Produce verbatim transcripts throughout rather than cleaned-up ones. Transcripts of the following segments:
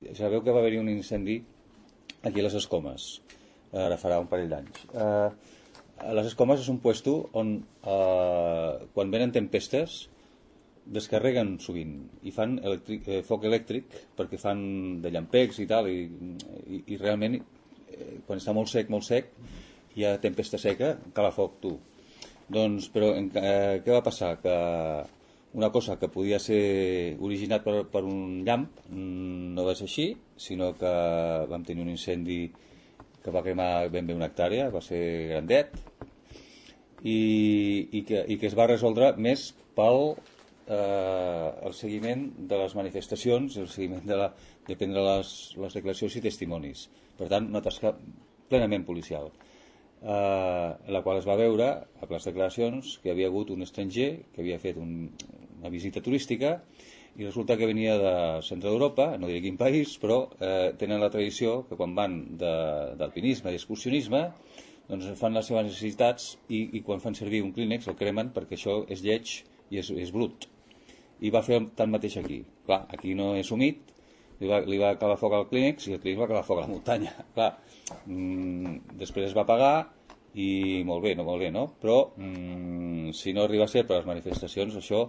Sabeu que va haver-hi un incendi aquí a les Escomes, ara farà un parell d'anys. Eh, les Escomes és un puesto on, eh, quan venen tempestes, descarreguen sovint i fan electric, eh, foc elèctric perquè fan de llampecs i tal, i, i, i realment, eh, quan està molt sec, molt sec, hi ha tempesta seca, cala foc, tu. Doncs, però, eh, què va passar? Que una cosa que podia ser originat per, per un llamp no va ser així, sinó que vam tenir un incendi que va cremar ben bé una hectàrea, va ser grandet, i, i, que, i que es va resoldre més pel eh, el seguiment de les manifestacions, el seguiment de, la, de prendre les, les declaracions i testimonis. Per tant, una tasca plenament policial. Eh, en la qual es va veure a les declaracions que hi havia hagut un estranger que havia fet un, una visita turística i resulta que venia de centre d'Europa, no diré quin país, però eh, tenen la tradició que quan van d'alpinisme i excursionisme doncs fan les seves necessitats i, i quan fan servir un clínex el cremen perquè això és lleig i és, és brut. I va fer tant mateix aquí. Clar, aquí no és humit, li va, li va calar foc al clínex i el clínex va calar foc a la muntanya. Clar, mmm, després es va pagar i molt bé, no molt bé, no? Però mmm, si no arriba a ser per les manifestacions, això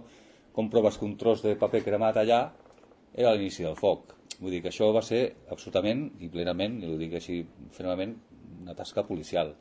comproves que un tros de paper cremat allà era l'inici del foc. Vull dir que això va ser absolutament i plenament, i ho dic així fermament, una tasca policial.